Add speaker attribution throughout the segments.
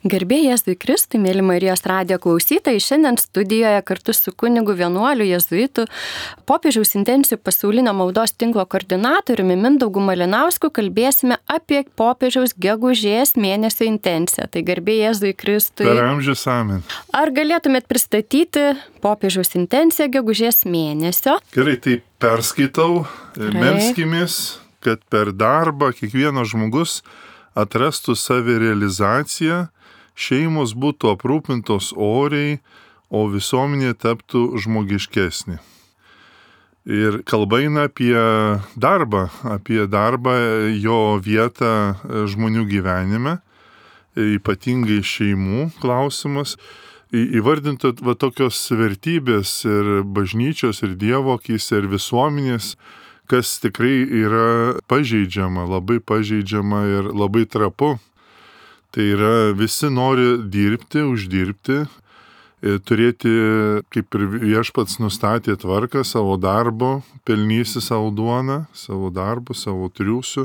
Speaker 1: Garbė Jėzui Kristui, mėly Marijos radijo klausytojai, šiandien studijoje kartu su kunigu vienuoliu jėzuitu popiežiaus intencijų pasaulinio maldos tinklo koordinatoriumi Mindaugu Malinausku kalbėsime apie popiežiaus gegužės mėnesio intenciją. Tai garbė Jėzui Kristui.
Speaker 2: Per amžius amen.
Speaker 1: Ar galėtumėt pristatyti popiežiaus intenciją gegužės mėnesio?
Speaker 2: Gerai, tai perskaitau, melskimės, kad per darbą kiekvienas žmogus atrastų savirealizaciją, šeimos būtų aprūpintos oriai, o visuomenė taptų žmogiškesnė. Ir kalba eina apie darbą, jo vietą žmonių gyvenime, ypatingai šeimų klausimas. Įvardinta tokios vertybės ir bažnyčios, ir Dievo akyse, ir visuomenės, kas tikrai yra pažeidžiama, labai pažeidžiama ir labai trapu. Tai yra, visi nori dirbti, uždirbti, turėti, kaip ir viešpats nustatė tvarką savo darbo, pelnysi savo duoną, savo darbu, savo triūsiu.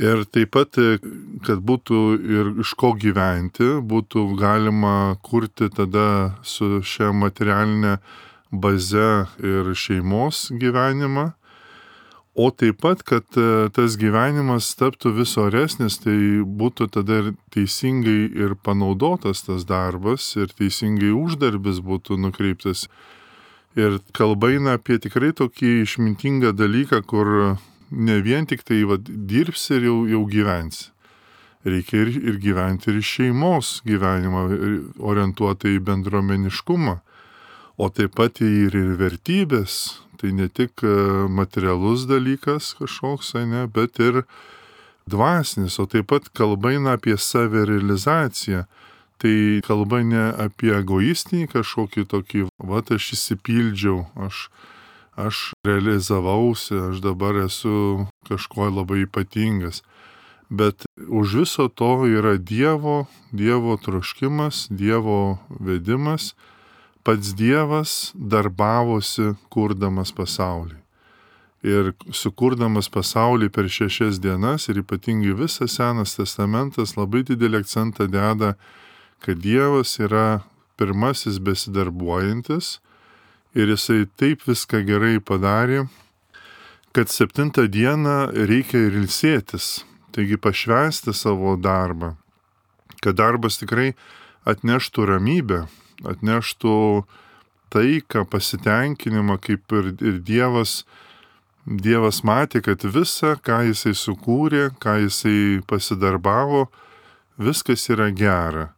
Speaker 2: Ir taip pat, kad būtų ir iš ko gyventi, būtų galima kurti tada su šia materialinė baze ir šeimos gyvenimą. O taip pat, kad tas gyvenimas taptų vis oresnis, tai būtų tada ir teisingai ir panaudotas tas darbas, ir teisingai uždarbis būtų nukreiptas. Ir kalba eina apie tikrai tokį išmintingą dalyką, kur ne vien tik tai dirbsi ir jau gyvensi. Reikia ir gyventi ir šeimos gyvenimą, orientuotą į bendruomeniškumą, o taip pat ir vertybės. Tai ne tik materialus dalykas kažkoks, bet ir dvasinis, o taip pat kalba eina apie savirealizaciją. Tai kalba ne apie egoistinį kažkokį tokį, aš įsipildžiau, aš realizavausi, aš dabar esu kažko labai ypatingas. Bet už viso to yra Dievo troškimas, Dievo vedimas. Pats Dievas darbavosi kurdamas pasaulį. Ir sukurdamas pasaulį per 6 dienas ir ypatingai visas Senas testamentas labai didelį akcentą deda, kad Dievas yra pirmasis besidarbuojantis ir jisai taip viską gerai padarė, kad 7 dieną reikia ir ilsėtis, taigi pašvęsti savo darbą, kad darbas tikrai atneštų ramybę, atneštų taiką, pasitenkinimą, kaip ir Dievas matė, kad visa, ką jisai sukūrė, ką jisai pasidarbavo, viskas yra gera.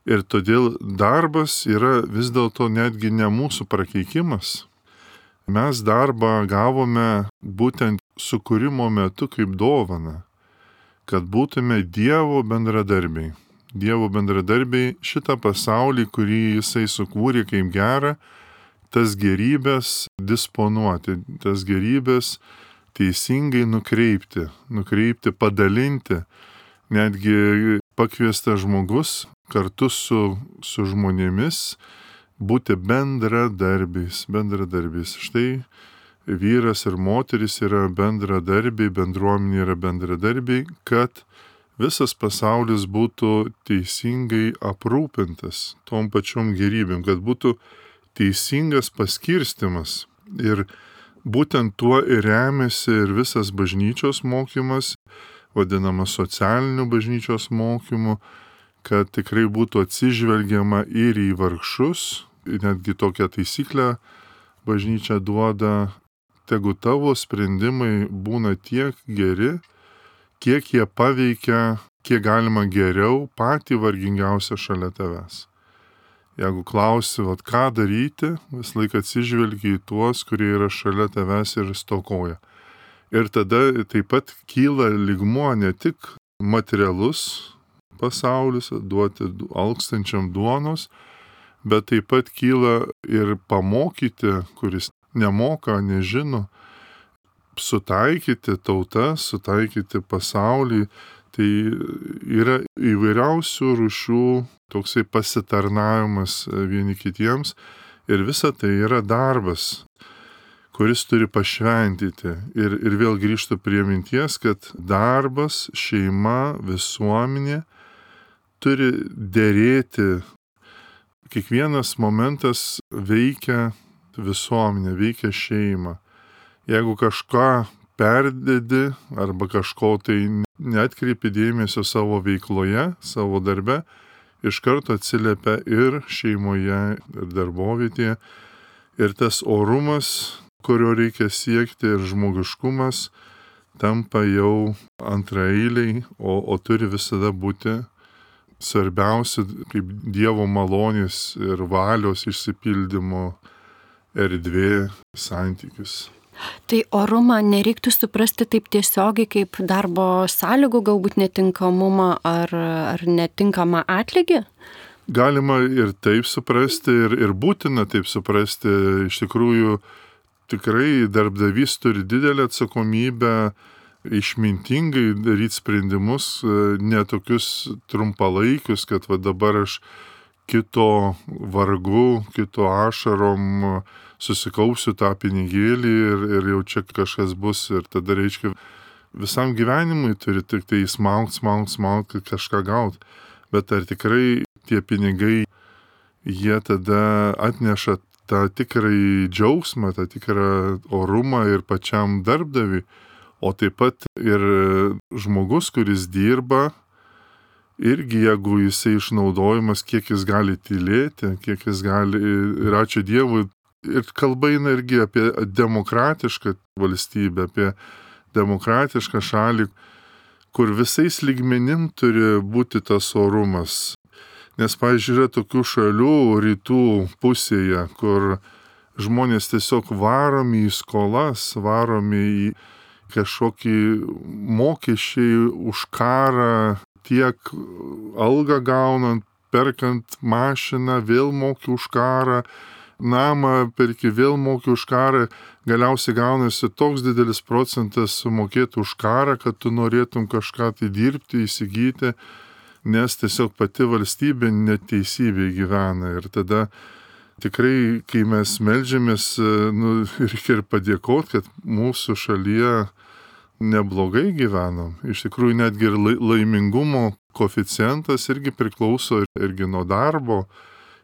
Speaker 2: Ir todėl darbas yra vis dėlto netgi ne mūsų prakeikimas. Mes darbą gavome būtent sukūrimo metu kaip dovaną, kad būtume Dievo bendradarbiai. Dievo bendradarbiai šitą pasaulį, kurį jisai sukūrė kaip gerą, tas gerybės disponuoti, tas gerybės teisingai nukreipti, padalinti. Netgi pakviestas žmogus kartu su žmonėmis būti bendradarbiais. Štai vyras ir moteris yra bendradarbiai, bendruomenė yra bendradarbiai, kad visas pasaulis būtų teisingai aprūpintas tom pačiom gerybėm, kad būtų teisingas paskirstimas. Ir būtent tuo ir remiasi ir visas bažnyčios mokymas, vadinamas socialiniu bažnyčios mokymu, kad tikrai būtų atsižvelgiama ir į vargšus. Netgi tokią taisyklę bažnyčia duoda, tegu tavo sprendimai būna tiek geri, kiek jie paveikia, kiek galima geriau patį vargingiausią šalia tavęs. Jeigu klausi, ką daryti, vis laik atsižvelgi į tuos, kurie yra šalia tavęs ir stokoja. Ir tada taip pat kyla lygmuo ne tik materialus pasaulis, duoti alkstančiam duonos, bet taip pat kyla ir pamokyti, kuris nemoka, nežino, sutaikyti tautas, sutaikyti pasaulį. Tai yra įvairiausių rūšių toksai pasitarnavimas vieni kitiems ir visa tai yra darbas, kuris turi pašventyti. Ir vėl grįžtu prie minties, kad darbas, šeima, visuomenė turi dėrėti. Kiekvienas momentas veikia visuomenę, veikia šeimą. Jeigu kažką perdedi arba kažko tai neatkreipi dėmesio savo veikloje, savo darbe, iš karto atsiliepia ir šeimoje, ir darbovietėje. Ir tas orumas, kurio reikia siekti, ir žmogiškumas tampa jau antraeiliai, o turi visada būti svarbiausia kaip Dievo malonės ir valios išsipildymo erdvė santykis.
Speaker 1: Tai orumą nereiktų suprasti taip tiesiogiai kaip darbo sąlygų galbūt netinkamumą ar netinkamą atlygį?
Speaker 2: Galima ir taip suprasti, ir būtina taip suprasti. Iš tikrųjų, tikrai darbdavys turi didelę atsakomybę išmintingai daryti sprendimus, ne tokius trumpalaikius, kad va dabar aš kito vargu, kito ašarom susikausiu tą pinigėlį ir jau čia kažkas bus ir tada reiškia visam gyvenimui turi tik tai smaut, kad kažką gaut. Bet ar tikrai tie pinigai, jie tada atneša tą tikrąjį džiaugsmą, tą tikrą orumą ir pačiam darbdaviui, o taip pat ir žmogus, kuris dirba, irgi jeigu jisai išnaudojimas, kiek jis gali tylėti, kiek jis gali, ir ačiū Dievui, ir kalba eina irgi apie demokratišką valstybę, apie demokratišką šalį, kur visais lygmenim turi būti tas orumas. Nes, pavyzdžiui, yra tokių šalių rytų pusėje, kur žmonės tiesiog varomi į skolas, varomi į kažkokį mokesčiai už karą, tiek algą gaunant, perkant mašiną, vėl moki už karą, namą perki, vėl moki už karą, galiausiai gaunasi toks didelis procentas sumokėti už karą, kad tu norėtum kažką tai dirbti, įsigyti, nes tiesiog pati valstybė neteisybė gyvena. Ir tada tikrai, kai mes meldžiamės, reikia ir padėkoti, kad mūsų šalyje neblogai gyvenam. Iš tikrųjų, netgi ir laimingumo koeficientas irgi priklauso irgi nuo darbo,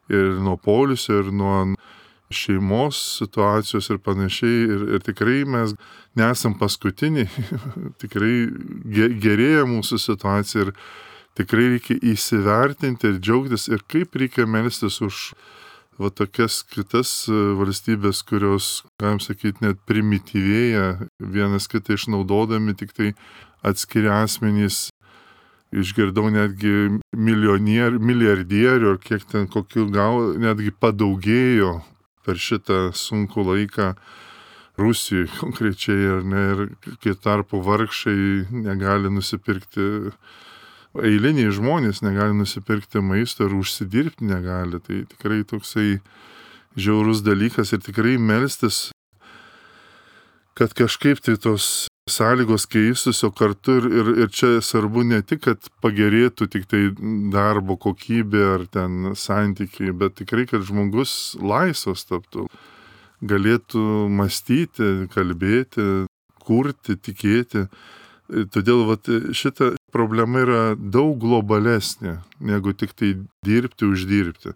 Speaker 2: ir nuo poilsio, ir nuo šeimos situacijos ir panašiai. Ir tikrai mes nesam paskutiniai. Tikrai gerėja mūsų situacija ir tikrai reikia įsivertinti ir džiaugtis. Ir kaip reikia melstis už va tokias kitas valstybės, kurios, galim sakyti, net primityvėja, vienas kitą išnaudodami, tik tai atskiri asmenys. Išgirdau netgi milijardierių, ar kiek ten kokių netgi padaugėjo per šitą sunkų laiką Rusijai konkrečiai, ar ne, ir kai tarpu vargšai negali nusipirkti, eiliniai žmonės negali nusipirkti maisto ir užsidirbti negali. Tai tikrai toksai žiaurus dalykas ir tikrai melstis, kad kažkaip tai tos sąlygos keistųsi, o kartu ir čia svarbu ne tik, kad pagerėtų tik tai darbo kokybė ar ten santykiai, bet tikrai, kad žmogus laisvas taptų, galėtų mąstyti, kalbėti, kurti, tikėti. Todėl šita problema yra daug globalesnė, negu tik tai dirbti, uždirbti.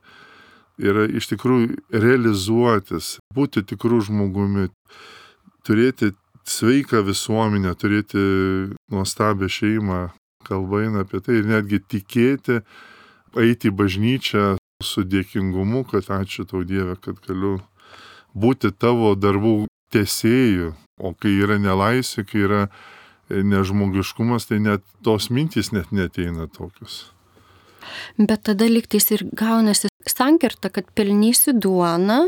Speaker 2: Yra iš tikrųjų realizuotis, būti tikrų žmogumi, turėti sveiką visuomenę, turėti nuostabią šeimą, kalba eina apie tai, ir netgi tikėti, eiti į bažnyčią su dėkingumu, kad ačiū tau Dieve, kad galiu būti tavo darbų tęsėju, o kai yra nelaisvė, kai yra nežmogiškumas, tai net tos mintys net neteina tokius.
Speaker 1: Bet tada lygtais ir gaunasi sankirta, kad pelnysi duoną,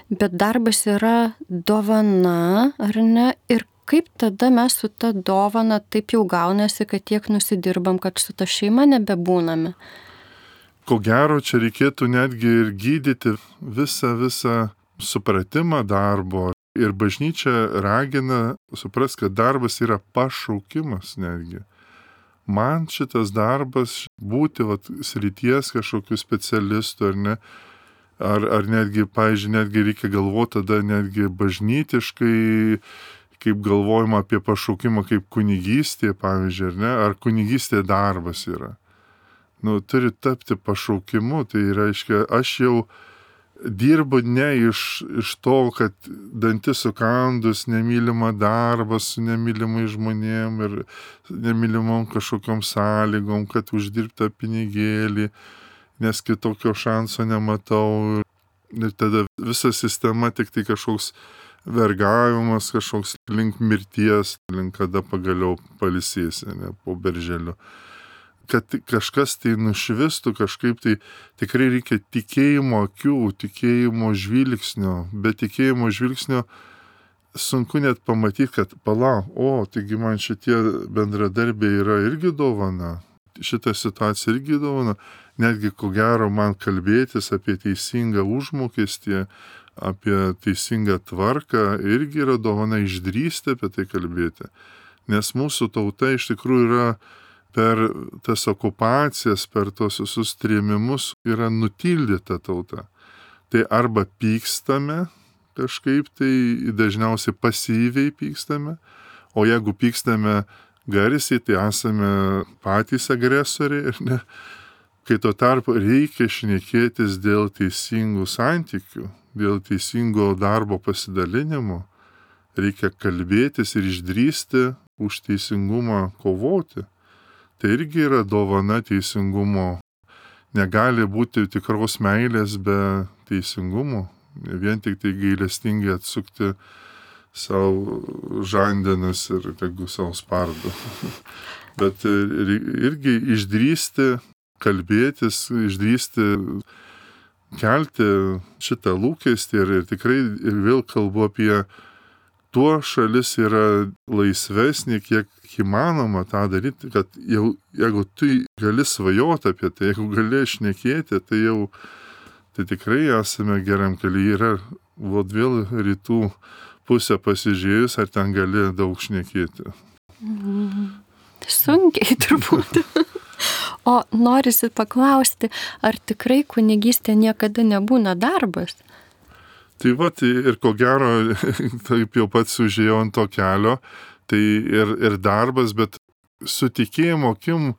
Speaker 1: bet darbas yra dovana, ar ne? Ir kaip tada mes su ta dovana taip jau gaunasi, kad tiek nusidirbam, kad su ta šeima nebebūname?
Speaker 2: Ko gero, čia reikėtų netgi ir gydyti visą supratimą darbo. Ir bažnyčia ragina suprast, kad darbas yra pašaukimas netgi. Man šitas darbas būti srities kažkokių specialistų, ar ne? Ar netgi, pavyzdžiui, netgi reikia galvoti tada netgi bažnytiškai, kaip galvojama apie pašaukimą kaip kunigystė, pavyzdžiui, ar ne? Ar kunigystė darbas yra. turi tapti pašaukimu. Tai reiškia, aš jau dirbu ne iš to, kad dantis sukandus, nemylimą darbą su nemylimai žmonėm ir nemylimom kažkokiom sąlygom, kad uždirbta pinigėlį, nes kitokio šanso nematau. Ir tada visa sistema tik tai kažkoks vergavimas, kažkoks link mirties, link kada pagaliau pailsėsi, ne, po berželiu. Kad kažkas tai nušvistų, kažkaip tai tikrai reikia tikėjimo akių, tikėjimo žvilgsnio. Be tikėjimo žvilgsnio sunku net pamatyti, kad taigi man šitie bendradarbiai yra irgi dovana. Šitą situaciją irgi dovana. Netgi ko gero man kalbėtis apie teisingą užmokestį, apie teisingą tvarką irgi yra dovana, išdrįsti apie tai kalbėti. Nes mūsų tauta iš tikrųjų yra per tas okupacijas, per tos visus trėmimus yra nutildyta tauta. Tai arba pykstame kažkaip, tai dažniausiai pasyviai pykstame, o jeigu pykstame garsiai, tai esame patys agresoriai ir ne. Kai tuo tarpu reikia šnekėtis dėl teisingų santykių, dėl teisingo darbo pasidalinimo, reikia kalbėtis ir išdrįsti už teisingumą kovoti. Tai irgi yra dovana teisingumo. Negali būti tikros meilės be teisingumo, vien tik tai gailestingai atsukti savo žandenas ir tegu savo spardu. Bet irgi išdrįsti kalbėtis, išdrįsti kelti šitą lūkestį ir tikrai ir vėl kalbu apie tuo šalis yra laisvesnė, kiek įmanoma tą daryti, kad jau, jeigu tu gali svajoti apie tai, jeigu gali šnekėti, tai tikrai esame geram kelyje. Yra vėl rytų pusę pasižiūrėjus, ar ten gali daug šnekėti.
Speaker 1: Sunkiai turbūt. O norisi paklausti, ar tikrai kunigystė niekada nebūna darbas?
Speaker 2: Tai ir ko gero, taip jau pats užėjau ant to kelio, tai ir darbas, bet su tikėjimo akim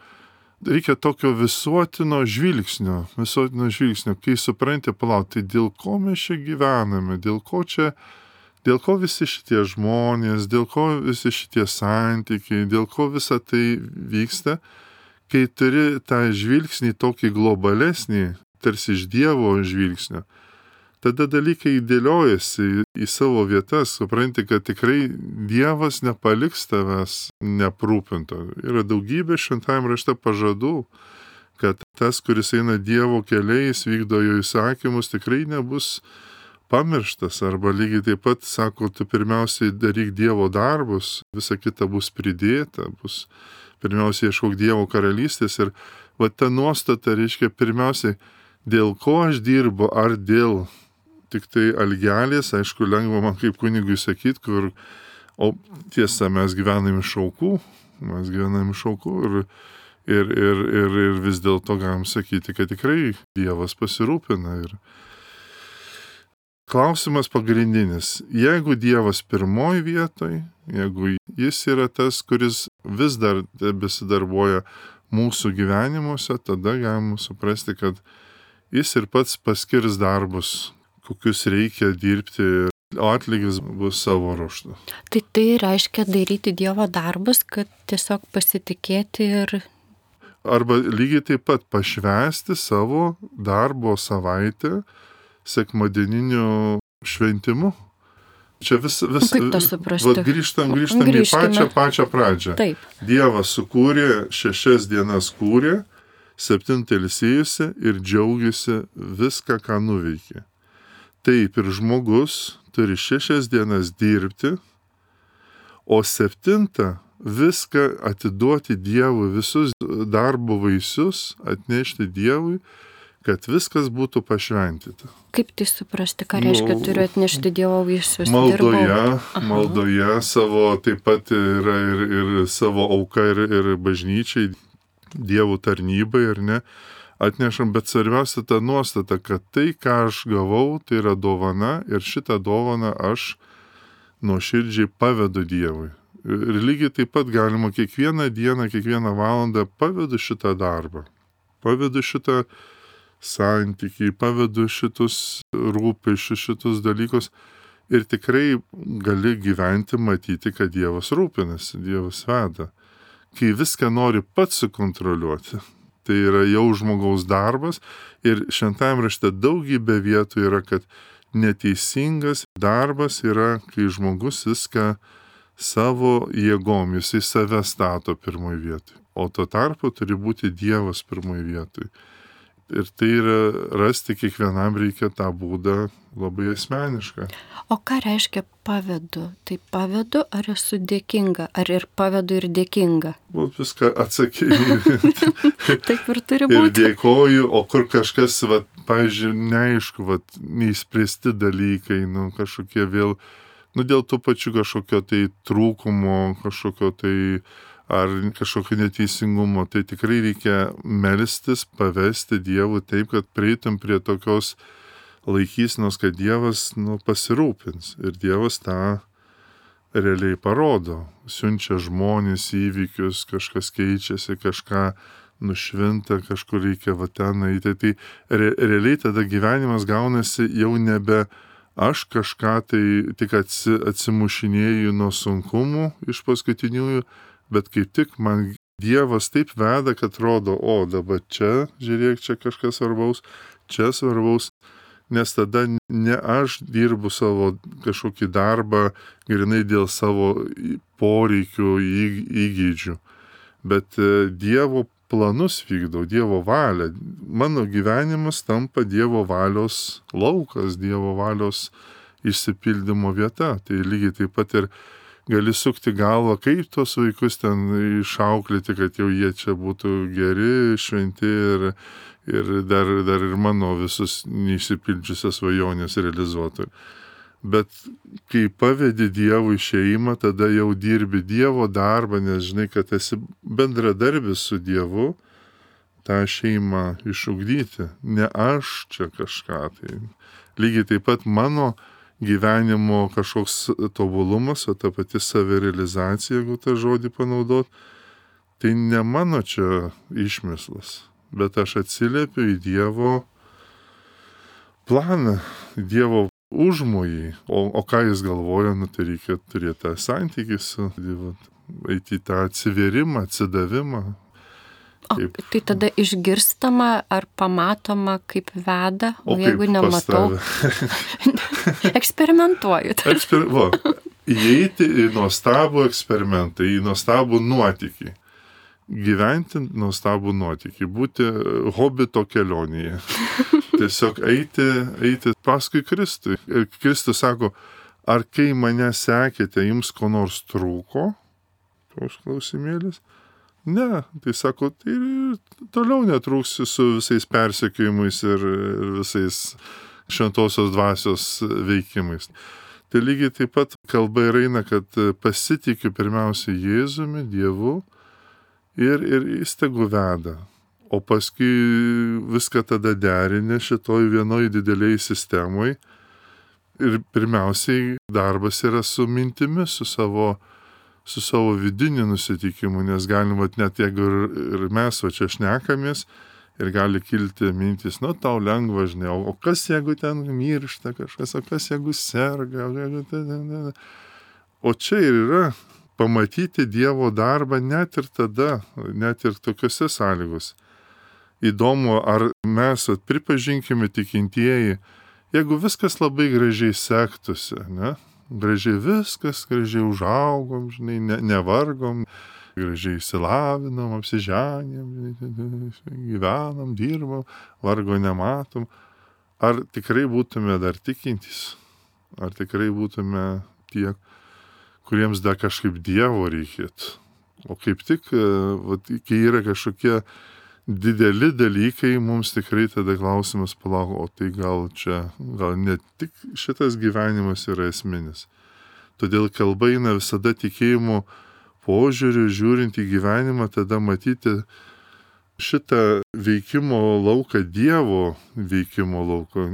Speaker 2: reikia tokio visuotino žvilgsnio, kai supranti, tai dėl ko mes čia gyvename, dėl ko visi šitie žmonės, dėl ko visi šitie santykiai, dėl ko visa tai vyksta. Kai turi tą žvilgsnį tokį globalesnį, tarsi iš Dievo žvilgsnio, tada dalykai dėliojasi į savo vietas, supranti, kad tikrai Dievas nepaliks tavęs neprūpinto. Yra daugybė šventajame rašte pažadų, kad tas, kuris eina Dievo keliais, vykdo jo įsakymus, tikrai nebus pamirštas. Arba lygiai taip pat sako, tu pirmiausiai daryk Dievo darbus, visa kita bus pridėta, pirmiausiai ieškok Dievo karalystės. Ir ta nuostata reiškia pirmiausiai, dėl ko aš dirbu, ar dėl tik tai algelės, aišku, lengva man kaip kunigui sakyti, o tiesa, mes gyvename iš aukų ir vis dėlto galim sakyti, kad tikrai Dievas pasirūpina. Ir klausimas pagrindinis, jeigu Dievas pirmoji vietoj, jeigu jis yra tas, kuris vis dar besidarbuoja mūsų gyvenimuose, tada galim suprasti, kad jis ir pats paskirs darbus, kokius reikia dirbti, o atlygis bus savo ruožtu.
Speaker 1: Tai reiškia daryti Dievo darbus, kad tiesiog pasitikėti ir...
Speaker 2: Arba lygiai taip pat pašvęsti savo darbo savaitę sekmadieniniu šventimu. Čia vis grįžtam į pačią pradžią.
Speaker 1: Taip.
Speaker 2: Dievas sukūrė, 6 dienas kūrė, 7 ilsėjosi ir džiaugiasi viską, ką nuveikė. Taip ir žmogus turi 6 dienas dirbti, o 7 viską atiduoti Dievui, visus darbo vaisius atnešti Dievui, kad viskas būtų pašventyta.
Speaker 1: Kaip tai suprasti, ką reiškia turiu atnešti Dievo vaisius?
Speaker 2: Maldoje savo taip pat yra ir savo auka ir bažnyčiai, Dievo tarnybai, ar ne, atnešam, bet svarbiausia ta nuostata, kad tai, ką aš gavau, tai yra dovana ir šitą dovaną aš nuoširdžiai pavedu Dievui. Ir lygiai taip pat galima kiekvieną dieną, kiekvieną valandą pavedu šitą darbą. pavedu šitą santykį, pavedu šitus rūpesčius, šitus dalykus ir tikrai gali gyventi, matyti, kad Dievas rūpinasi, Dievas veda. Kai viską nori pats sukontroliuoti, tai yra jau žmogaus darbas ir šventajame rašte daugybė vietų yra, kad neteisingas darbas yra, kai žmogus viską savo jėgom, jisai save stato pirmoj vietoj, o tuo tarpu turi būti Dievas pirmoj vietoj. Ir tai yra rasti kiekvienam reikia tą būdą labai asmenišką.
Speaker 1: O ką reiškia pavedu? Tai pavedu, ar esu dėkinga, ar ir pavedu ir dėkinga?
Speaker 2: Viską atsakyti.
Speaker 1: Taip ir turi būti.
Speaker 2: Ir dėkoju, o kur kažkas, pavyzdžiui, neaišku, neįspręsti dalykai, kažkokie vėl, dėl tų pačių kažkokio tai trūkumo, kažkokio tai ar kažkokio neteisingumo, tai tikrai reikia melstis, pavesti Dievui taip, kad prieitum prie tokios laikysenos, kad Dievas pasirūpins. Ir Dievas tą realiai parodo. Siunčia žmonės, įvykius, kažkas keičiasi, kažką nušvinta, kažkur reikia ten eiti. Tai realiai tada gyvenimas gaunasi jau nebe aš kažką tai tik atsimušinėju nuo sunkumų iš paskutiniųjų, bet kaip tik man Dievas taip veda, kad rodo, o dabar čia, žiūrėk, čia kažkas svarbaus, čia svarbaus, nes tada ne aš dirbu savo kažkokį darbą grinai dėl savo poreikių, įgeidžių, bet Dievo planus vykdau, Dievo valią. Mano gyvenimas tampa Dievo valios laukas, Dievo valios išsipildymo vieta. Tai lygiai taip pat ir gali sukti galvą, kaip tos vaikus ten išauklėti, kad jau jie čia būtų geri, šventi ir dar ir mano visus neišsipildžiusias svajonės realizuotų. Bet kai pavedi Dievui šeimą, tada jau dirbi Dievo darbą, nes žinai, kad esi bendradarbis su Dievu, tą šeimą išugdyti. Ne aš čia kažką. Tai lygiai taip pat mano gyvenimo kažkoks tobulumas, o ta pati savirealizacija, jeigu tą žodį panaudot, tai ne mano čia išmislas, bet aš atsiliepiu į Dievo planą, Dievo užmojį. O ką jis galvoja, tai reikia turėti tą santykį su Dievu, eiti į tą atsivėrimą, atsidavimą.
Speaker 1: Kaip. Tai tada išgirstama ar pamatoma, kaip veda, o jeigu nematau, eksperimentuoju.
Speaker 2: Įeiti į nuostabų eksperimentą, į nuostabų nuotykį. Gyventi nuostabų nuotykį, būti hobito kelionėje. Tiesiog eiti paskui Kristui. Ir Kristus sako, ar kai mane sekėte, jums ko nors trūko? Toks klausimėlis. Ne, tai sako, tai toliau netrūksi su visais persekiojimais ir visais šventosios dvasios veikimais. Tai lygiai taip pat kalba ir eina, kad pasitikiu pirmiausia Jėzumi, Dievu ir jis tegu veda. O paskui viską tada derinė šitoj vienoj dideliai sistemoj. Ir pirmiausiai darbas yra su mintimis, su savo vidiniu nusiteikimu, nes galima net jeigu ir mes čia šnekamės ir gali kilti mintis, tau lengva, žinai, o kas jeigu ten miršta kažkas, o kas jeigu serga, o čia ir yra pamatyti Dievo darbą net ir tada, net ir tokiuose sąlygos. Įdomu, ar mes pripažinkime tikintieji, jeigu viskas labai gražiai sektųsi, ne? Gražiai viskas, gražiai užaugom, žinai, nevargom, gražiai išsilavinom, apsiženėm, gyvenam, dirbam, vargo nematom. Ar tikrai būtume dar tikintys? Ar tikrai būtume tie, kuriems dar kažkaip Dievo reikėtų? O kaip tik, kai yra kažkokie dideli dalykai, mums tikrai tada klausimas palauk, o tai gal ne tik šitas gyvenimas yra esminis. Todėl kalba eina visada tikėjimo požiūriu, žiūrint į gyvenimą, tada matyti šitą veikimo lauką, Dievo veikimo lauką.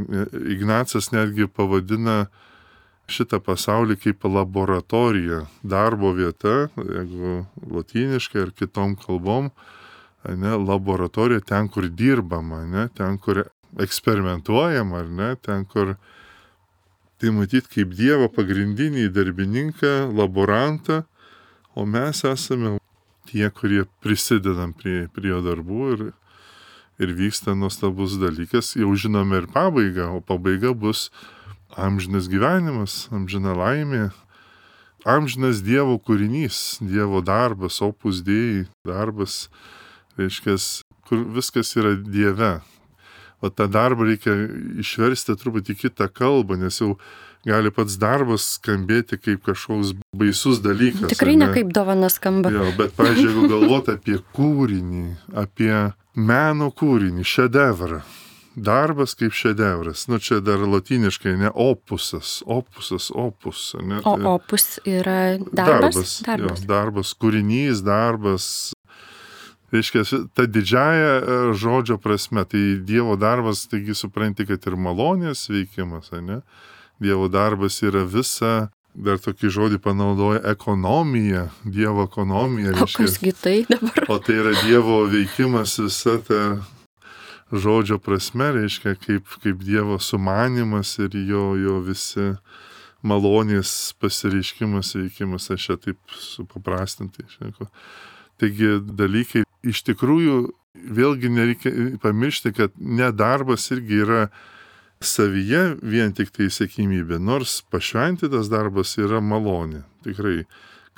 Speaker 2: Ignacas netgi pavadina šitą pasaulį kaip laboratorija, darbo vieta, jeigu lotyniškai ar kitom kalbom ne, laboratorija ten, kur dirbama, ne, ten, kur eksperimentuojama, ar ne, ten, kur tai matyt kaip Dievo pagrindinį darbininką, laborantą, o mes esame tie, kurie prisidedam prie jo darbų ir vyksta nuostabus dalykas. Jau žinome ir pabaigą, o pabaiga bus amžinas gyvenimas, amžina laimė, amžinas Dievo kūrinys, Dievo darbas, opus dei darbas, reiškia, kur viskas yra Dieve. O tą darbą reikia išversti truputį kitą kalbą, nes jau gali pats darbas skambėti kaip kažkoks baisus dalykas.
Speaker 1: Tikrai ne kaip dovana skamba.
Speaker 2: Jo, bet, pavyzdžiui, jeigu galvoti apie kūrinį, apie meno kūrinį, šedevrą, darbas kaip šedevras, čia dar lotyniškai, ne opusas, opus. Ne,
Speaker 1: o opus yra darbas?
Speaker 2: Jo, darbas, kūrinys, darbas. Reiškia, ta didžiaja žodžio prasme, tai Dievo darbas, taigi supranti, kad ir malonės veikimas, ne? Dievo darbas yra visa, dar tokį žodį panaudoja ekonomija, Dievo ekonomija.
Speaker 1: O kasgi tai dabar?
Speaker 2: O tai yra Dievo veikimas visa ta žodžio prasme, reiškia, kaip Dievo sumanimas ir jo visi malonės pasireiškimas, veikimas, aš čia taip supaprastintai šneku. Taigi dalykai iš tikrųjų vėlgi nereikia pamiršti, kad nedarbas irgi yra savyje vien tik tai sėkmybė, nors pašventytas darbas yra malonė. Tikrai,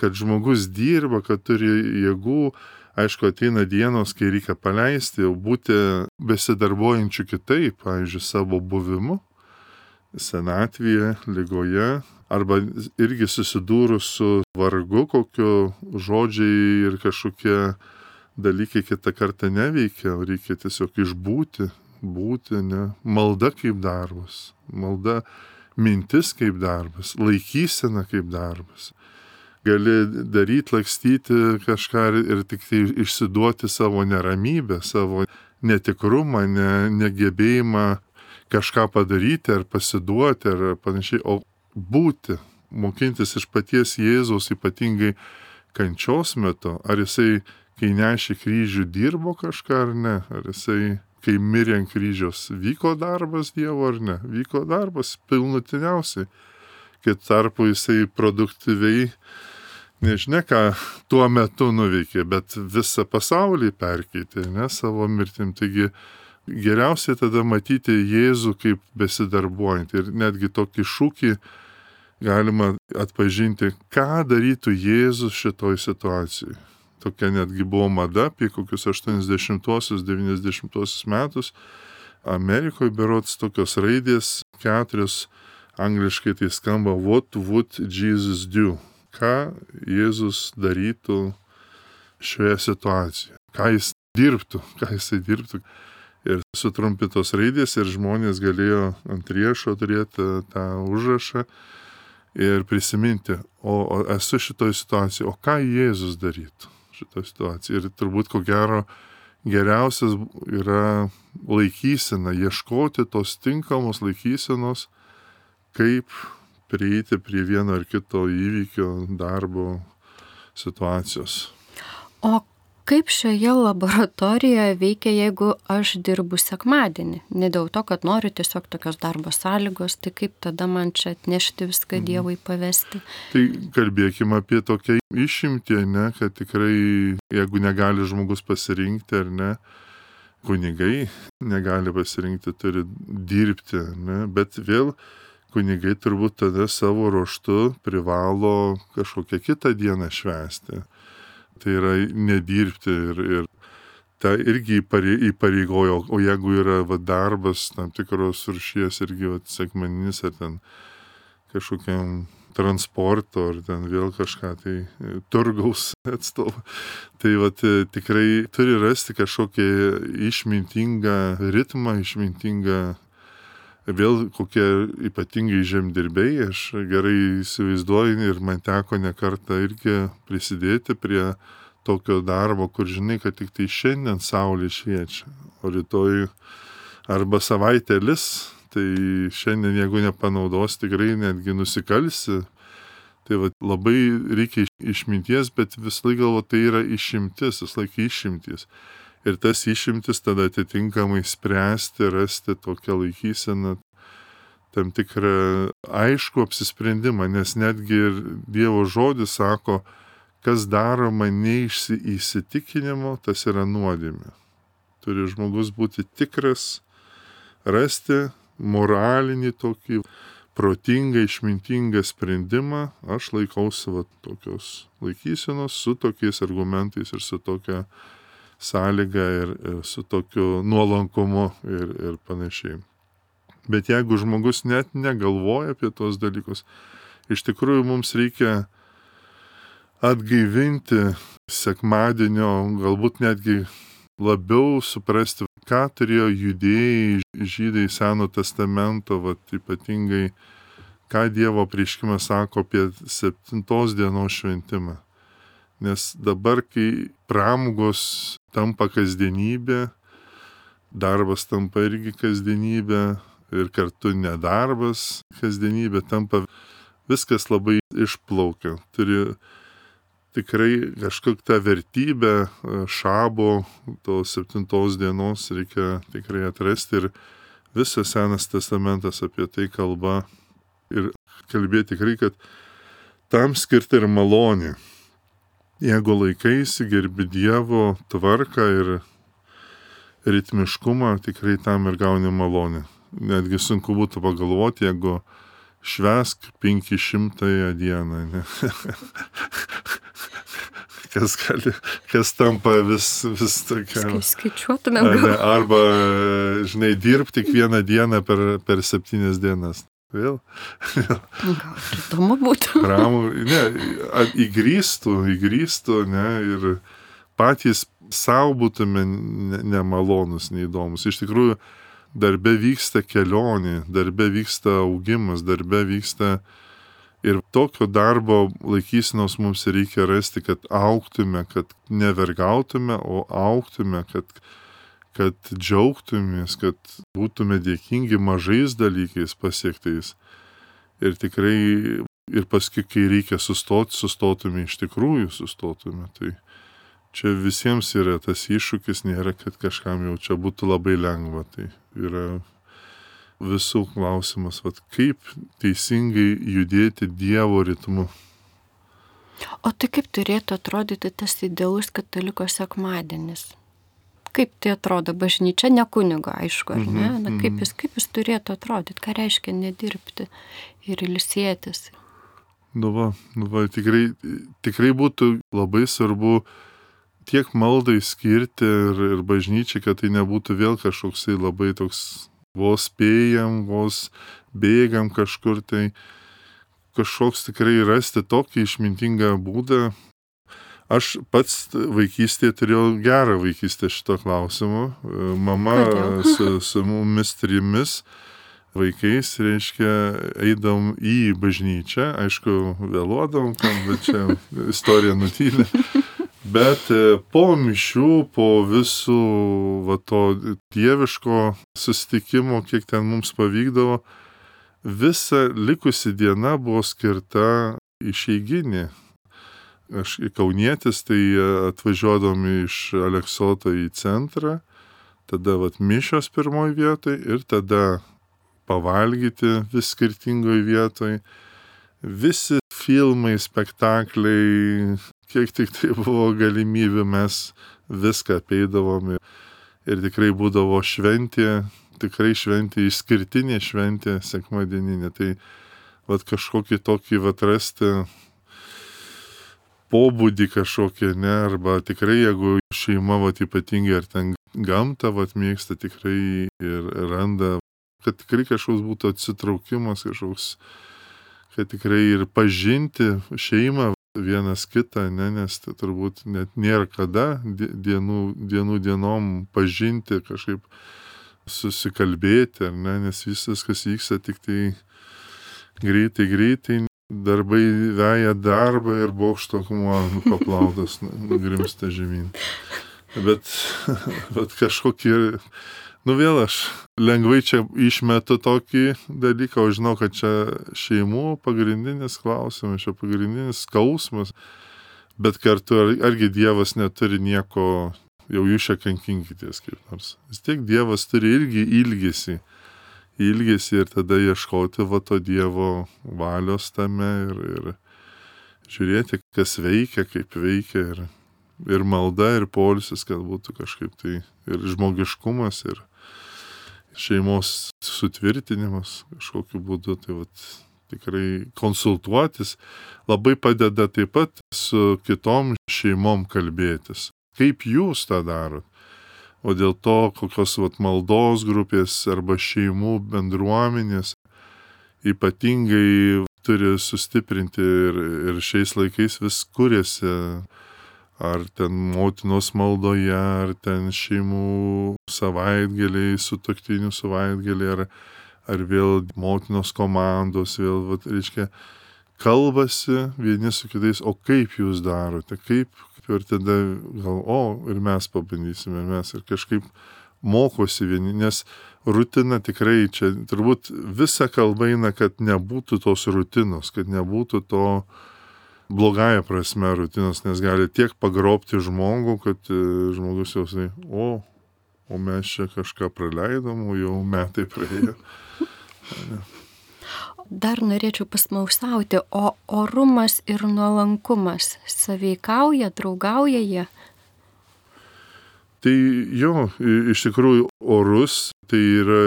Speaker 2: kad žmogus dirba, kad turi jėgų, aišku, ateina dienos, kai reikia paleisti, jau būti besidarbuojančių kitaip, pavyzdžiui, savo buvimu, senatvėje, ligoje, arba irgi susidūrus su vargu, kokio žodžiai ir kažkokie dalykai kitą kartą neveikia, reikia tiesiog išbūti, ne, malda kaip darbas, malda mintis kaip darbas, laikysena kaip darbas. Gali daryti, lakstyti kažką ir tik tai išsiduoti savo neramybę, savo netikrumą, negebėjimą kažką padaryti ar pasiduoti ar panašiai, o būti, mokintis iš paties Jėzaus ypatingai kančios metu, ar jisai, kai nešė kryžių, dirbo kažką ar ne, ar jisai, kai mirė ant kryžiaus, vyko darbas Dievo ar ne, vyko darbas pilnutiniausiai, kai tarpu jisai produktyviai, nežinia ką tuo metu nuveikė, bet visą pasaulį perkeitė, ne, savo mirtim, taigi geriausiai tada matyti Jėzų kaip besidarbuojantį ir netgi tokį šūkį galima atpažinti, ką darytų Jėzus šitoj situacijai. Tokia netgi buvo mada apie kokius 80-90 metus. Amerikoje berods tokios raidės 4, angliškai tai skamba What would Jesus do? Ką Jėzus darytų šioje situacijoje? Ką jis dirbtų? Ir sutrumpintos raidės ir žmonės galėjo ant riešo turėti tą užrašą ir prisiminti, o esu šitoj situacijai, o ką Jėzus darytų šitoj situacijai. Ir turbūt ko gero geriausias yra laikysena, ieškoti tos tinkamos laikysenos, kaip prieiti prie vieno ar kito įvykio, darbo, situacijos.
Speaker 1: O kaip šioje laboratorijoje veikia, jeigu aš dirbu sekmadienį? Ne dėl to, kad noriu tiesiog tokios darbo sąlygos, tai kaip tada man čia atnešti viską Dievui pavesti?
Speaker 2: Tai kalbėkime apie tokią išimtį, ne, kad tikrai, jeigu negali žmogus pasirinkti ar ne, kunigai negali pasirinkti, turi dirbti, ne, bet vėl kunigai turbūt tada savo ruožtu privalo kažkokią kitą dieną švęsti. Tai yra nedirbti ir ta irgi įpareigojo, o jeigu yra darbas tam tikros rūšies irgi sekmadieninis ar ten kažkokiam transporto ar ten vėl kažką tai turgaus atstovų, tai tikrai turi rasti kažkokį išmintingą ritmą, išmintingą vėl kokie ypatingai žemdirbiai, aš gerai įsivaizduoju ir man teko ne kartą irgi prisidėti prie tokio darbo, kur žinai, kad tik tai šiandien saulė šviečia, o rytoj arba savaitė lis, tai šiandien jeigu nepanaudos, tikrai netgi nusikalsi. Tai labai reikia išminties, bet vis laik galvo, tai yra išimtis, vis laik išimtis. ir tas išimtis tada atitinkamai spręsti, rasti tokią laikyseną, tam tikrą aišku apsisprendimą, nes netgi ir Dievo žodis sako, kas daroma ne iš įsitikinimo, tas yra nuodėmė. Turi žmogus būti tikras, rasti moralinį tokį protingą, išmintingą sprendimą. Aš laikausi tokios laikysenos su tokiais argumentais ir su tokia sąlyga ir su tokiu nuolankumu ir panašiai. Bet jeigu žmogus net negalvoja apie tos dalykus, iš tikrųjų mums reikia atgaivinti sekmadienio, galbūt netgi labiau suprasti, ką turėjo judėjai žydai Seno testamento, ypatingai, ką Dievo apreiškimas sako apie 7 dienos šventimą. Nes dabar, kai pramogos tampa kasdienybė, darbas tampa irgi kasdienybė ir kartu nedarbas kasdienybė tampa, viskas labai išplaukia. Turi tikrai kažkokią tą vertybę šabo, tos 7 dienos reikia tikrai atrasti ir visas Senas testamentas apie tai kalba ir kalbėti tikrai, kad tam skirta ir malonė. Jeigu laikaisi, gerbi Dievo tvarką ir ritmiškumą, tikrai tam ir gauni malonę. Netgi sunku būtų pagalvoti, jeigu švęsk 500 dieną, ne? kas tampa vis tokia.
Speaker 1: Skaičiuotumėm.
Speaker 2: Arba, žinai, dirb tik vieną dieną per 7 dienas. Vėl.
Speaker 1: Gal įdomu būtų.
Speaker 2: Įgrįstų, ne, ir patys savo būtume nemalonus, neįdomus. Iš tikrųjų, darbe vyksta kelionė, darbe vyksta augimas, darbe vyksta ir tokio darbo laikysenos mums reikia rasti, kad augtume, kad nevergautume, o augtume, kad džiaugtumės, kad būtume dėkingi mažais dalykais pasiektais. Ir tikrai, ir paskui, kai reikia sustotume, iš tikrųjų sustotume. Tai čia visiems yra tas iššūkis, nėra, kad kažkam jau čia būtų labai lengva. Tai yra visų klausimas, kaip teisingai judėti Dievo ritmu.
Speaker 1: O tai kaip turėtų atrodyti tas idealus kataliko sekmadienis? Kaip tai atrodo bažnyčia, ne kunigo, aišku, ar ne? Na, kaip jis turėtų atrodyti, ką reiškia nedirbti ir ilsėtis?
Speaker 2: Tikrai būtų labai svarbu tiek maldai skirti ir bažnyčiai, kad tai nebūtų vėl kažkoksai labai toks vos spėjam, vos bėgam kažkur, tai kažkoks tikrai rasti tokį išmintingą būdą. Aš pats vaikystėje turėjau gerą vaikystę šito klausimu. Mama su mumis 3 vaikais, reiškia, eidom į bažnyčią, aišku, vėluodom, bet čia istorija nutylė. Bet po mišių, po visų to dieviško susitikimo, kiek ten mums pavykdavo, visa likusi diena buvo skirta išeiginė. Aš kaunietis, tai atvažiuodom iš Aleksoto į centrą, tada mišios pirmoje vietoje ir tada pavalgyti vis skirtingoje vietoje. Visi filmai, spektakliai, kiek tik tai buvo galimybių, mes viską apeidavom ir tikrai būdavo šventė, išskirtinė šventė sekmadieninė. Tai kažkokį tokį rasti pobūdį kažkokį, ne, arba tikrai, jeigu šeima ypatingai ar ten gamtą mėgsta, tikrai ir randa, kad tikrai kažkoks būtų atsitraukimas, kažkoks, kad tikrai ir pažinti šeimą vienas kitą, ne, nes tai turbūt net nėra kada dienom pažinti, kažkaip susikalbėti, ar ne, nes visas, kas vyksta, tik tai greitai, darbai veja darbą ir bokšto akmuo paplautas, grimsta žemyn. Bet kažkokie, vėl aš lengvai čia išmetu tokį dalyką, o žinau, kad čia šeimų pagrindinis klausimas, čia pagrindinis skausmas, bet kartu argi Dievas neturi nieko jau jūs čia kankinkitės kaip nors. Vis tiek Dievas turi irgi ilgesį ir tada ieškoti va to Dievo valios tame ir žiūrėti, kas veikia, kaip veikia ir malda, ir poilsis, kad būtų kažkaip tai ir žmogiškumas, ir šeimos sutvirtinimas kažkokiu būdu, tai vat tikrai konsultuotis labai padeda taip pat su kitom šeimom kalbėtis. Kaip jūs tą darot? O dėl to, kokios vat maldos grupės arba šeimų bendruomenės ypatingai turi sustiprinti ir šiais laikais vis kuriasi, ar ten motinos maldoje, ar ten šeimų savaitgaliai, sutuoktinių savaitgaliai, ar vėl motinos komandos, vėl, reiškia, kalbasi vieni su kitais, o kaip jūs darote, kaip ir tada gal, ir mes pabandysime, ir kažkaip mokosi vieni, nes rutina tikrai čia, turbūt visa kalba eina, kad nebūtų tos rutinos, kad nebūtų to blogąja prasme rutinos, nes gali tiek pagrobti žmogų, kad žmogus jau sakė, o mes čia kažką praleidom, o jau metai praėjo.
Speaker 1: Dar norėčiau pasmausauti, o orumas ir nuolankumas saveikauja, draugauja jie?
Speaker 2: Tai jo, iš tikrųjų orus, tai yra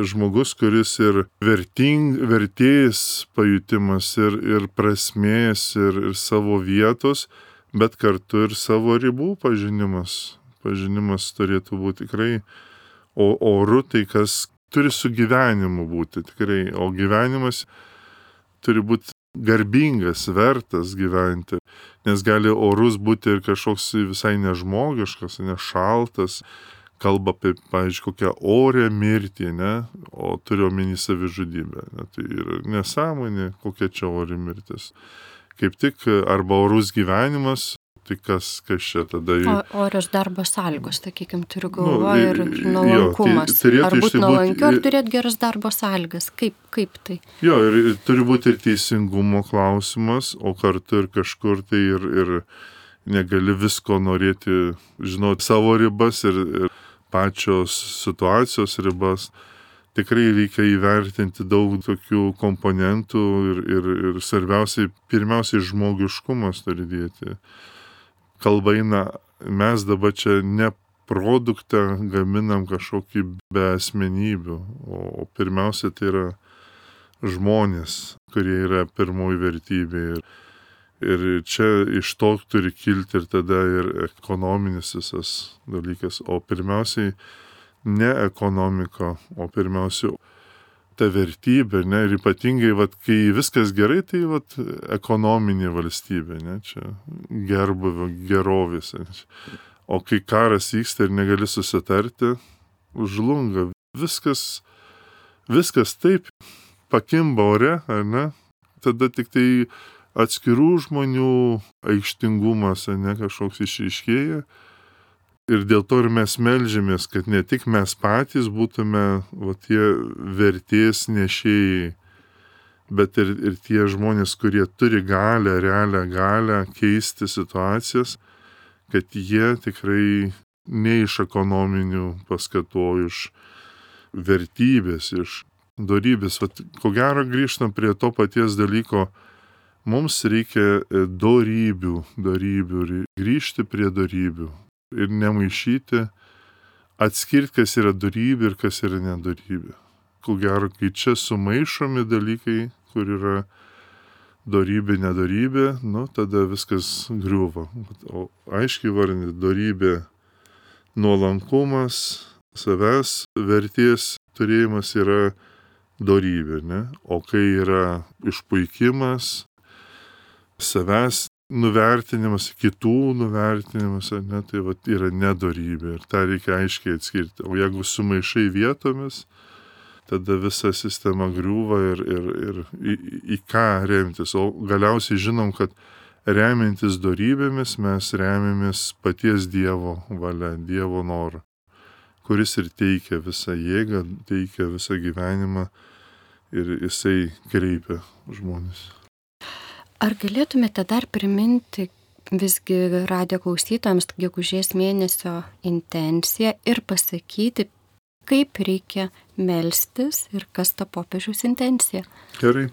Speaker 2: žmogus, kuris ir vertės pajutimas, ir prasmės, ir savo vietos, bet kartu ir savo ribų pažinimas. Pažinimas turėtų būti tikrai, o oru tai kas turi su gyvenimu būti tikrai, o gyvenimas turi būti garbingas, vertas gyventi, nes gali orus būti ir kažkoks visai nežmogiškas, nešaltas, kalba apie, pavyzdžiui, kokią orę mirtį, ne, o turiu omeny savižudybę, ne, tai yra nesąmonė, kokia čia ori mirtis. Kaip tik arba orus gyvenimas, tai kas čia tada...
Speaker 1: Orios darbo sąlygos, sakykime, turiu galvoje ir nuolankumas. Ar būti nuolankiu, ar turėti geras darbo sąlygas? Kaip tai?
Speaker 2: Jo, ir turi būti ir teisingumo klausimas, o kartu ir kažkur tai ir negali visko norėti, žinoti savo ribas ir pačios situacijos ribas. Tikrai reikia įvertinti daug tokių komponentų ir svarbiausiai, pirmiausiai žmogiškumas turi dėti. Kalba eina, mes dabar čia ne produktą gaminam kažkokį be asmenybių, o pirmiausia tai yra žmonės, kurie yra pirmoji vertybė. Ir čia iš to turi kilti ir tada ir ekonominis visas dalykas, o pirmiausiai ne ekonomika, o pirmiausia ta vertybė, ne, ir ypatingai, kai viskas gerai, tai ekonominė valstybė, ne, čia gerbuvio, gerovės. O kai karas vyksta ir negali susitarti, žlunga. Viskas taip pakimba ore, ar ne, tada tik tai atskirų žmonių aikštingumas, ne, kažkoks išryškėja. Ir dėl to ir mes meldžiamės, kad ne tik mes patys būtume tie vertės nešėjai, bet ir tie žmonės, kurie turi galią, realią galią keisti situacijas, kad jie tikrai ne iš ekonominių paskatų, iš vertybės, iš dorybės. Ko gero grįžtam prie to paties dalyko, mums reikia dorybių, grįžti prie dorybių. Ir nemaišyti, atskirti, kas yra dorybė ir kas yra nedorybė. Ko gero, kai čia sumaišomi dalykai, kur yra dorybė, nedorybė, tada viskas griūva. O aiškiai vardinti dorybė, nuolankumas, savęs vertės turėjimas yra dorybė, ne? O kai yra išpuikimas, savęs nuvertinimas, kitų nuvertinimas, ne, tai yra nedorybė ir tą reikia aiškiai atskirti. O jeigu sumaišai vietomis, tada visa sistema griūva ir į ką remtis. O galiausiai žinom, kad remiantis dorybėmis mes remiamės paties Dievo valia, Dievo norą, kuris ir teikia visą jėgą, teikia visą gyvenimą ir jisai kreipia žmonės.
Speaker 1: Ar galėtumėte dar priminti visgi radijo klausytojams gegužės mėnesio intenciją ir pasakyti, kaip reikia melstis ir kas ta popiežiaus intencija.
Speaker 2: Gerai.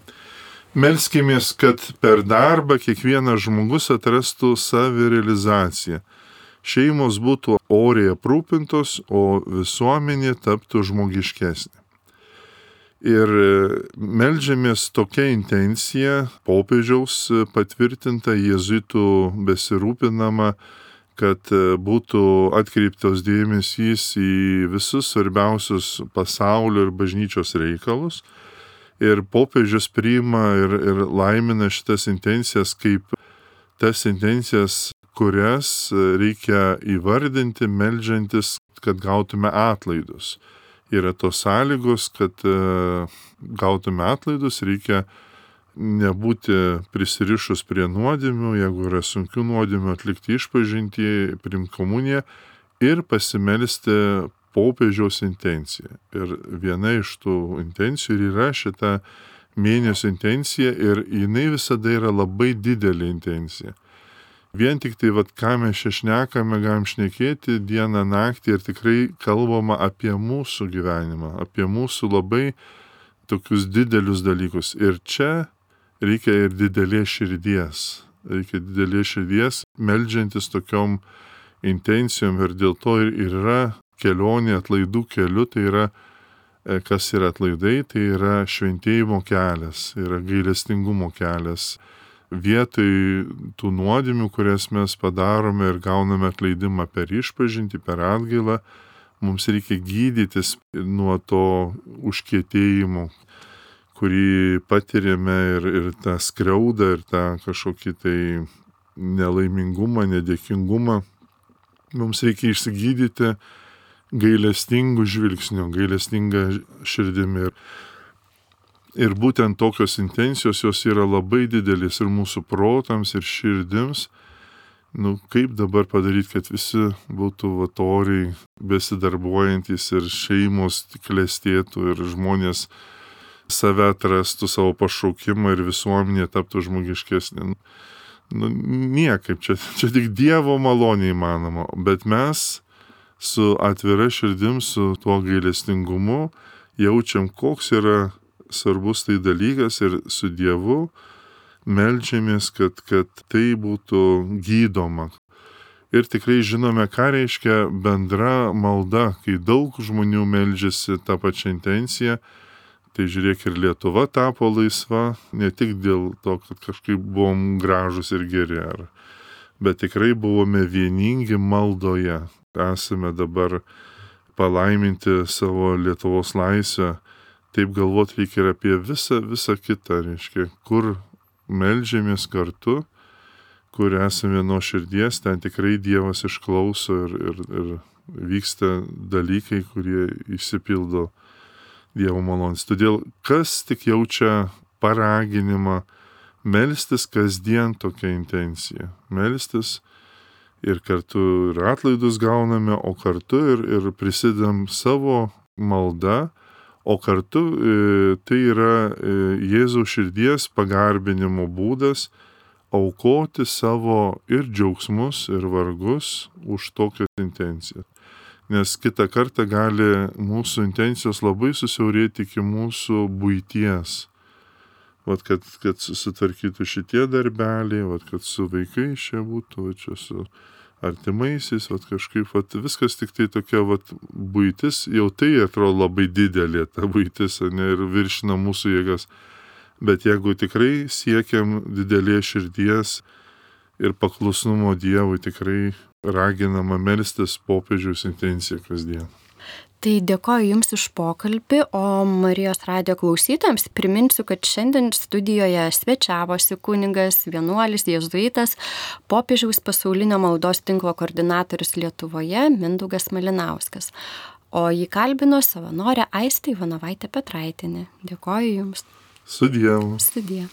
Speaker 2: Melskimės, kad per darbą kiekvienas žmogus atrastų savirealizaciją. Šeimos būtų oriai aprūpintos, o visuomenė taptų žmogiškesnė. Ir meldžiamės tokia intencija, popiežiaus patvirtinta, jėzuitų besirūpinama, kad būtų atkreiptos dėmesys į visus svarbiausius pasaulio ir bažnyčios reikalus. Ir popiežius priima ir laimina šitas intencijas kaip tas intencijas, kurias reikia įvardinti, meldžiantis, kad gautume atlaidus. Yra tos sąlygos, kad gautume atlaidus, reikia nebūti prisirišus prie nuodėmių, jeigu yra sunkių nuodėmių, atlikti išpažintį, priimti komuniją ir pasimelsti popiežiaus intenciją. Ir viena iš tų intencijų yra šita mėnesio intencija ir jinai visada yra labai didelė intencija. Vien tik tai, ką mes čia šnekame, galim šnekėti dieną, naktį ir tikrai kalbama apie mūsų gyvenimą, apie mūsų labai tokius didelius dalykus. Ir čia reikia ir didelės širdies. Reikia didelės širdies, meldžiantis tokiom intencijom ir dėl to ir yra kelionė atlaidų keliu, tai yra, kas yra atlaidai, tai yra šventėjimo kelias, yra gailestingumo kelias. Vietoj tų nuodėmių, kurias mes padarome ir gauname atleidimą per išpažintį, per atgailą, mums reikia gydytis nuo to užkietėjimo, kurį patiriame ir tą skriaudą, ir tą kažkokį tai nelaimingumą, nedėkingumą. Mums reikia išsigydyti gailestingų žvilgsnių, gailestingą širdimi. Ir būtent tokios intencijos, jos yra labai didelis ir mūsų protams, ir širdims. Kaip dabar padaryti, kad visi būtų oriai besidarbuojantis ir šeimos klestėtų ir žmonės save atrastų, savo pašaukimą ir visuomenė taptų žmogiškesnė. Niekaip, čia tik Dievo malonė įmanoma, bet mes su atvira širdim, su tuo gailestingumu jaučiam, koks yra svarbus tai dalykas ir su Dievu meldžiamės, kad tai būtų gydoma. Ir tikrai žinome, ką reiškia bendra malda, kai daug žmonių meldžiasi tą pačią intenciją. Tai žiūrėk, ir Lietuva tapo laisva, ne tik dėl to, kad kažkaip buvom gražus ir geri, bet tikrai buvome vieningi maldoje. Esame dabar palaiminti savo Lietuvos laisvę. Taip galvot reikia ir apie visą kitą, reiškia, kur meldžiamės kartu, kur esame nuo širdies, ten tikrai Dievas išklauso ir vyksta dalykai, kurie išsipildo Dievo malonės. Todėl kas tik jaučia paraginimą melstis kasdien tokia intencija. Melstis ir kartu ir atlaidus gauname, o kartu ir prisidedam savo maldą. O kartu tai yra Jėzaus širdies pagarbinimo būdas aukoti savo ir džiaugsmus, ir vargus už tokią intenciją. Nes kitą kartą gali mūsų intencijos labai susiaurėti iki mūsų buities. Kad susitvarkytų šitie darbeliai, kad su vaikais čia būtų, čia su artimaisiais, kažkaip, viskas tik tai tokia, buitis, jau tai atrodo labai didelė ta buitis, ir viršina mūsų jėgas. Bet jeigu tikrai siekiam didelės širdies ir paklusnumo Dievui, tikrai raginama melstis popiežiaus intenciją kasdien.
Speaker 1: Tai dėkoju Jums už pokalbį, o Marijos radijo klausytojams priminsiu, kad šiandien studijoje svečiavosi kunigas, vienuolis, jėzuitas, popiežiaus pasaulinio maldos tinklo koordinatorius Lietuvoje Mindaugas Malinauskas. O jį kalbino savanorė Aistė Ivanovaitė Petraitienė. Dėkoju Jums.
Speaker 2: Sudie.
Speaker 1: Sudie.